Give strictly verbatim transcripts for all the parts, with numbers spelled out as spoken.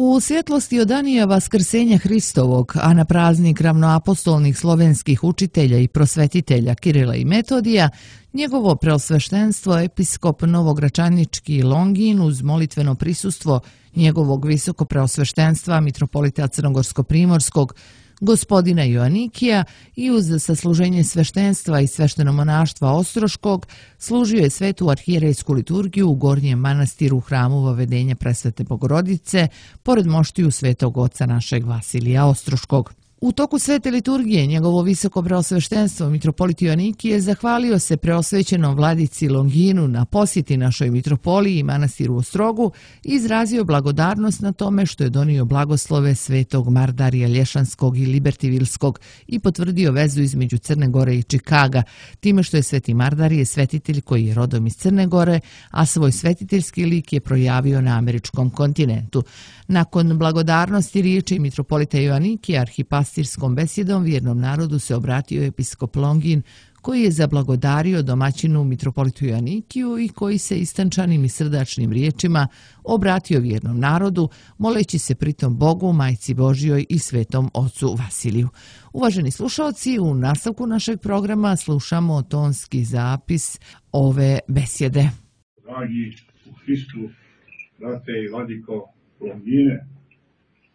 U svjetlosti odanija Vaskrsenja Hristovog, a na praznik ravnoapostolnih slovenskih učitelja i prosvetitelja Kirila i Metodija, njegovo preosveštenstvo episkop Novogračanički Longin uz molitveno prisustvo njegovog visoko preosveštenstva mitropolita Crnogorsko-primorskog gospodina Joanikija i uz sasluženje sveštenstva i sveštenomonaštva Ostroškog služio je svetu arhijerejsku liturgiju u Gornjem manastiru hramu Vavedenja Presvete Bogorodice, pored moštiju svetog oca našeg Vasilija Ostroškog. U toku svete liturgije njegovo visoko preosveštenstvo mitropolit Joanikije zahvalio se preosvećenom vladici Longinu na posjeti našoj mitropoliji i manastiru Ostrogu i izrazio blagodarnost na tome što je donio blagoslove svetog Mardarija Lješanskog i Libertivilskog i potvrdio vezu između Crne Gore i Čikaga, time što je sveti Mardarije svetitelj koji je rodom iz Crne Gore, a svoj svetiteljski lik je projavio na američkom kontinentu. Nakon blagodarnosti riječi mitropolita Joanikija arhipastirskom besjedom vjernom narodu se obratio episkop Longin, koji je zablagodario domaćinu mitropolitu Joanikiju i koji se istančanim i srdačnim riječima obratio vjernom narodu, moleći se pritom Bogu, Majci Božjoj i svetom ocu Vasiliju. Uvaženi slušalci, u nastavku našeg programa slušamo tonski zapis ove besjede. Dragi u Hristu, brate i vladiko Longine,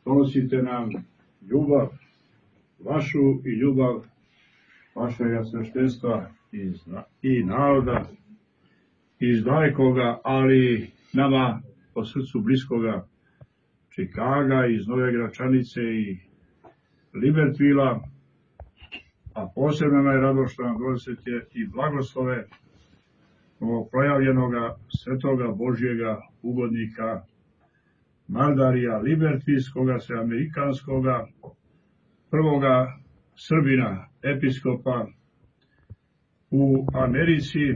donosite nam ljubav vašu i ljubav vašega sveštenstva i naroda iz dalekoga, ali nama po srcu bliskoga Čikaga, iz Nove Gračanice i Libertvila, a posebno nam je rado što nam donosite i blagoslove ovog projavljenoga svetoga Božjega ugodnika Mardarija Libertvilskoga, sveamerikanskoga, prvoga Srbina, episkopa u Americi,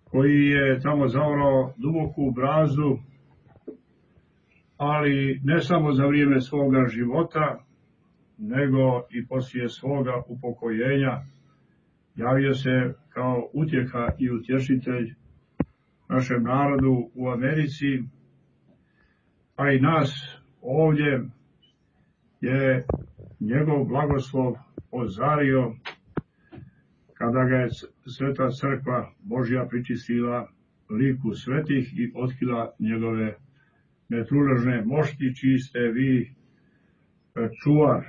koji je tamo zaorao duboku brazu, ali ne samo za vrijeme svoga života, nego i poslije svoga upokojenja. Javio se kao utjeha i utješitelj našem narodu u Americi, a i nas ovdje je njegov blagoslov ozario kada ga je Sveta crkva Božja pričistila liku svetih i otkrila njegove netruležne mošti, čiji ste vi čuvar.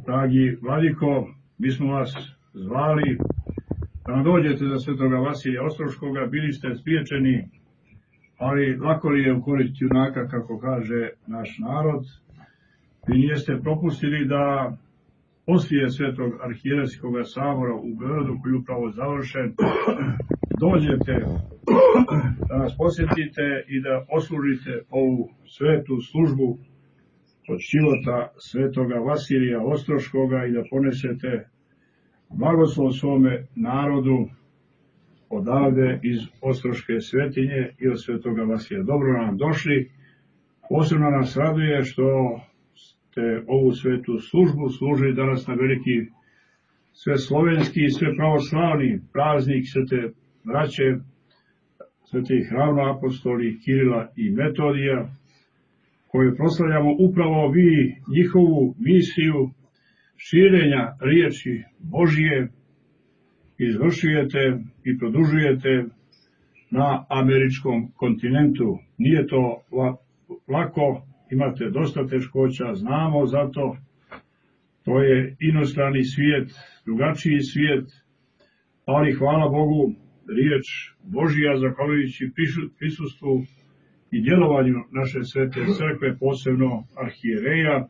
Dragi vladiko, mi smo vas zvali da nam dođete za svetoga Vasilija Ostroškoga, bili ste spriječeni, ali lako li je ukoriti junaka, kako kaže naš narod. Vi nijeste propustili da poslije svetog arhijerejskog sabora u Beogradu, koji je upravo završen, dođete da nas posjetite i da oslužite ovu svetu službu od života svetoga Vasilija Ostroškoga i da ponesete blagoslov svome narodu odavde iz Ostroške svetinje i od svetoga Vasilija. Dobro nam došli. Posebno nas raduje što ste ovu svetu službu služili danas na veliki sve slovenski i sve pravoslavni praznik svete braće, svetih ravnoapostoli Kirila i Metodija, koju proslavljamo upravo vi, njihovu misiju širenja riječi Božije izvršujete i produžujete na američkom kontinentu. Nije to lako, imate dosta teškoća, znamo za to. To je inostrani svijet, drugačiji svijet, ali hvala Bogu, riječ Božija, zahvaljujući prisustvu i djelovanju naše svete crkve, posebno arhijereja,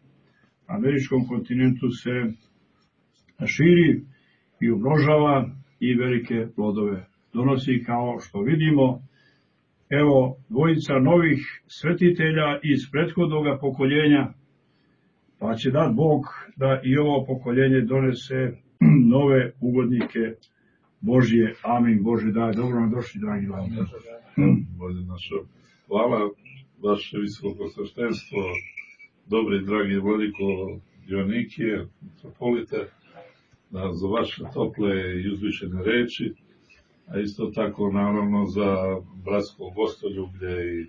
na američkom kontinentu se širi i umnožava i velike plodove donosi, kao što vidimo. Evo, dvojica novih svetitelja iz prethodnog pokoljenja, pa će dat Bog da i ovo pokoljenje donese nove ugodnike Božje. Amin. Bože daj. Dobro nam došli, dragi vladike. Bože našo, hvala vaše visoko sveštenstvo, dobri dragi vladiko Joanikije, mitropolite, za vaše tople i uzvišene reči, a isto tako naravno za bratsko gostoljublje i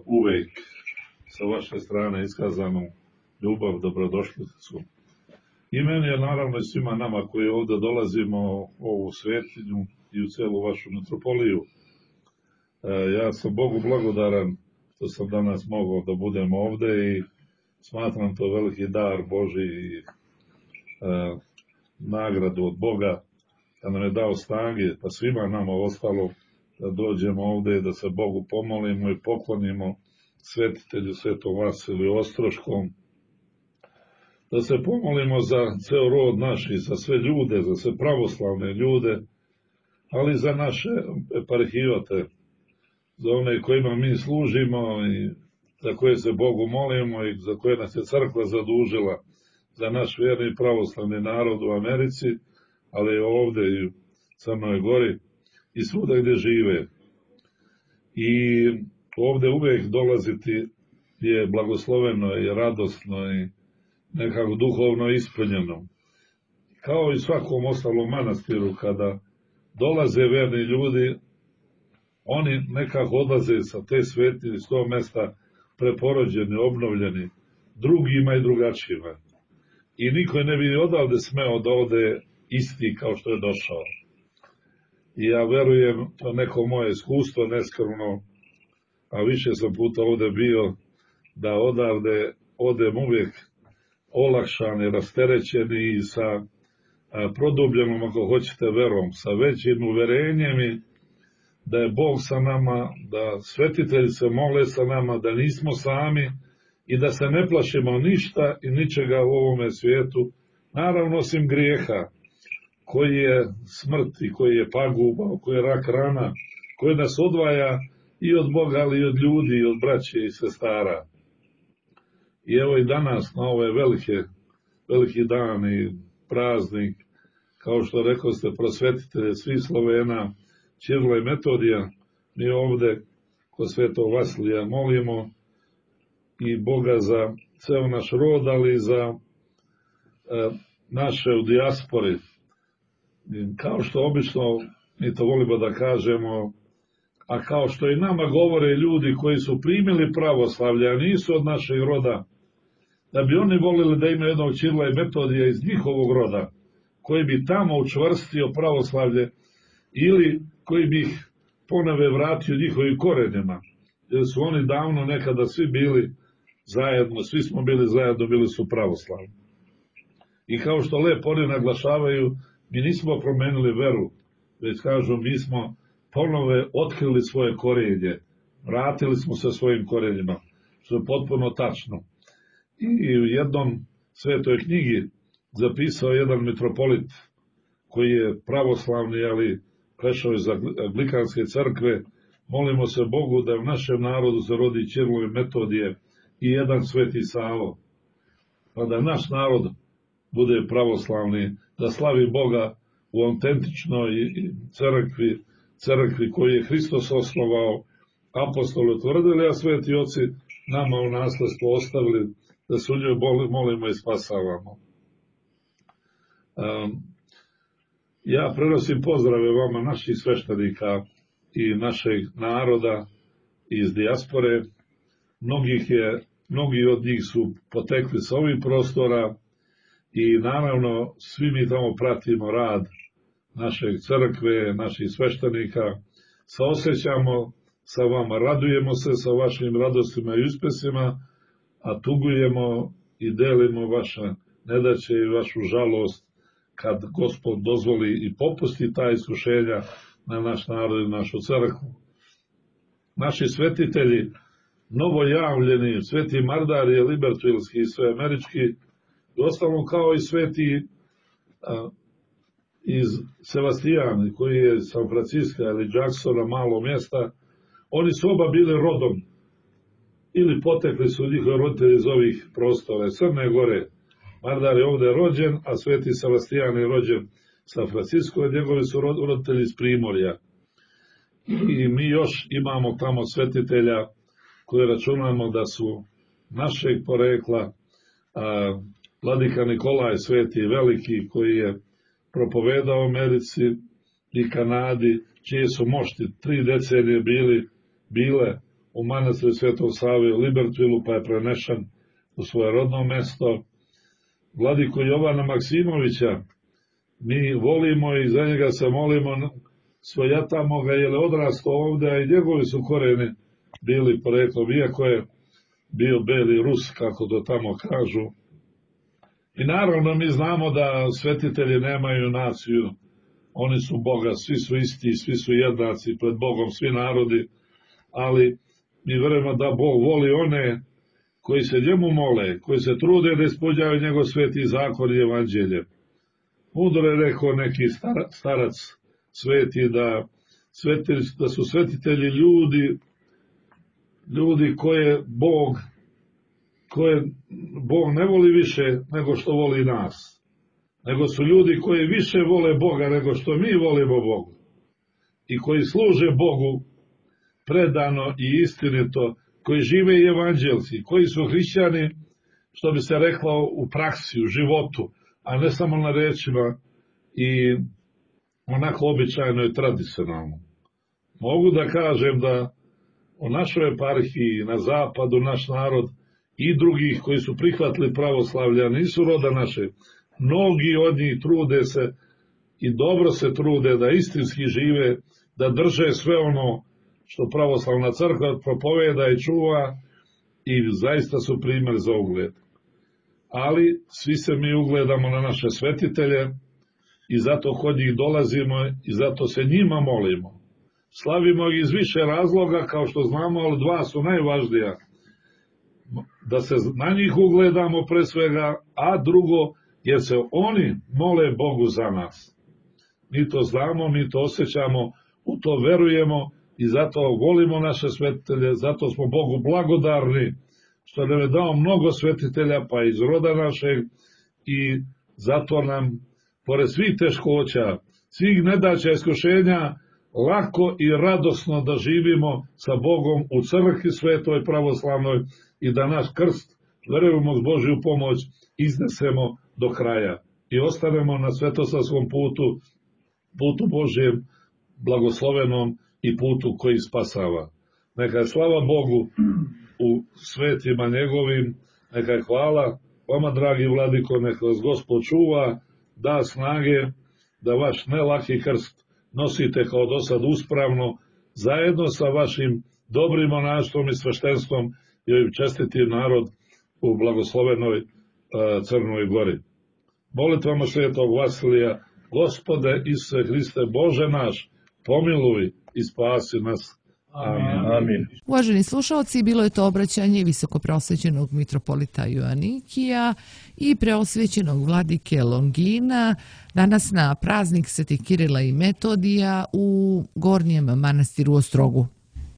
uvek sa vaše strane iskazanu ljubav, dobrodošlicu. I meni je naravno i svima nama koji ovdje dolazimo u ovu svetinju i u celu vašu metropoliju. Ja sam Bogu blagodaran što sam danas mogao da budem ovdje i smatram to veliki dar Božji i e, nagradu od Boga da nam je dao snage, pa svima nama ostalo da dođemo ovdje i da se Bogu pomolimo i poklonimo svetitelju Svetom Vasiliju Ostroškom, da se pomolimo za ceo rod naš i za sve ljude, za sve pravoslavne ljude, ali za naše eparhijote, za one kojima mi služimo i za koje se Bogu molimo i za koje nas je crkva zadužila, za naš vjerni pravoslavni narod u Americi, ali i ovdje i u Crnoj Gori i svuda gdje žive. I ovdje uvijek dolaziti je blagosloveno i radosno i nekako duhovno ispunjeno. Kao i svakom ostalom manastiru, kada dolaze verni ljudi, oni nekako odlaze sa te svetinje, s tog mesta preporođeni, obnovljeni, drugima i drugačijima. I niko ne bi odavde smeo da ode isti kao što je došao. I ja verujem, to neko moje iskustvo, neskromno, a više sam puta ovdje bio, da odavde odem uvijek olakšani, rasterećeni i sa produbljenom, ako hoćete, verom, sa većim uverenjem i da je Bog sa nama, da svetitelji se mole sa nama, da nismo sami i da se ne plašimo ništa i ničega u ovome svijetu, naravno osim grijeha, koji je smrt i koji je paguba, koji je rak rana, koji nas odvaja i od Boga, ali i od ljudi, i od braće i sestara. I evo i danas, na ove velike, veliki dan i praznik, kao što rekao ste, prosvetitelje svih Slovena, Ćirila i Metodija, mi ovdje kod Svetog Vasilija molimo i Boga za ceo naš rod, ali i za e, naše u dijaspori. Kao što obično mi to volimo da kažemo, a kao što i nama govore ljudi koji su primili pravoslavlje, a nisu od našeg roda, da bi oni volili da imaju jednog Ćirila i Metodija iz njihovog roda, koji bi tamo učvrstio pravoslavlje ili koji bi ih ponove vratio njihovim korenima, jer su oni davno nekada svi bili zajedno, svi smo bili zajedno, bili su pravoslavni. I kao što lepo oni naglašavaju, mi nismo promenili veru, već kažu, mi smo ponove otkrili svoje korenje, vratili smo se svojim korenjima, što je potpuno tačno. I u jednom svetoj knjigi zapisao jedan mitropolit koji je pravoslavni, ali prešao iz Anglikanske crkve, molimo se Bogu da u našem narodu se rodi Ćirilo i Metodije i jedan Sveti Savo, pa da naš narod bude pravoslavni, da slavi Boga u autentičnoj crkvi, crkvi koju je Hristos osnovao, apostoli utvrdili, a sveti oci nama u nasledstvo ostavili, da se u njoj molimo i spasavamo. Um, ja prenosim pozdrave vama, naših sveštenika i našeg naroda iz dijaspore. Mnogih je, mnogi od njih su potekli sa ovih prostora i naravno svi mi tamo pratimo rad našeg crkve, naših sveštenika, saosećamo sa vama, radujemo se sa vašim radostima i uspesima, a tugujemo i delimo vaše nedaće i vašu žalost kad Gospod dozvoli i popusti ta iskušenja na naš narod i našu crkvu. Naši svetitelji, novojavljeni, sveti Mardari, libertvilski i sve američki, i ostalom kao i sveti a, iz Sevastijana, koji je San Francisco ili Jacksona, malo mjesta, oni su oba bili rodom ili potekli su njihovi roditelji iz ovih prostora, Crne Gore. Mardar je ovdje rođen, a sveti Sebastijan je rođen San Francisco, i njegovi su roditelji iz Primorja. I mi još imamo tamo svetitelja koje računamo da su našeg porekla, a, Vladika Nikolaj Sveti Veliki, koji je propovedao u Americi i Kanadi, čije su mošti tri decenije bili, bile u manastir Svetog Save u Libertvilu, pa je prenešen u svoje rodno mesto. Vladiku Jovana Maksimovića mi volimo i za njega se molimo, svojatamo ga jer je odrastao ovdje, a i njegovi su koreni bili poreklom, iako je bio beli Rus, kako to tamo kažu. I naravno mi znamo da svetitelji nemaju naciju, oni su Boga, svi su isti, svi su jednaci pred Bogom, svi narodi, ali mi verujemo da Bog voli one koji se njemu mole, koji se trude da ispoljavaju njegov sveti zakon i evanđelje. Mudro je rekao neki starac sveti da, sveti, da su svetitelji ljudi, ljudi koje Bog, koje Bog ne voli više nego što voli nas, nego su ljudi koji više vole Boga nego što mi volimo Bogu i koji služe Bogu predano i istinito, koji žive i evanđelci, koji su hrišćani, što bi se reklo, u praksi, u životu, a ne samo na rečima i onako običajno i tradicionalno. Mogu da kažem da u našoj eparhiji, na zapadu, naš narod i drugih koji su prihvatili pravoslavlja, nisu roda naše, mnogi od njih trude se i dobro se trude da istinski žive, da drže sve ono što pravoslavna crkva propoveda i čuva i zaista su primjer za ugled. Ali svi se mi ugledamo na naše svetitelje i zato kod njih dolazimo i zato se njima molimo. Slavimo ih iz više razloga, kao što znamo, ali dva su najvažnija. Da se na njih ugledamo pre svega, a drugo, jer se oni mole Bogu za nas. Mi to znamo, mi to osjećamo, u to verujemo i zato volimo naše svetitelje, zato smo Bogu blagodarni što nam je dao mnogo svetitelja, pa iz roda našeg, i zato nam, pored svih teškoća, svih nedaća, iskušenja, lako i radosno da živimo sa Bogom u crkvi svetoj pravoslavnoj i da naš krst, verujemo s Božju pomoć, iznesemo do kraja i ostanemo na svetosavskom putu, putu Božjem, blagoslovenom i putu koji spasava. Neka je slava Bogu u svetima njegovim, neka je hvala vama, dragi vladiko, neka vas Gospod čuva, da snage da vaš nelaki krst nosite kao do sad uspravno, zajedno sa vašim dobrim monaštvom i sveštenstvom i ovim čestitim narod u blagoslovenoj uh, Crnoj Gori. Molitvama svetog Vasilija, Gospode Isuse Hriste, Bože naš, pomiluj i spasi nas. Amin. Amin. Uvaženi slušalci, bilo je to obraćanje visokopreosvećenog mitropolita Joanikija i preosvećenog vladike Longina danas na praznik Svetih Kirila i Metodija u Gornjem manastiru Ostrogu.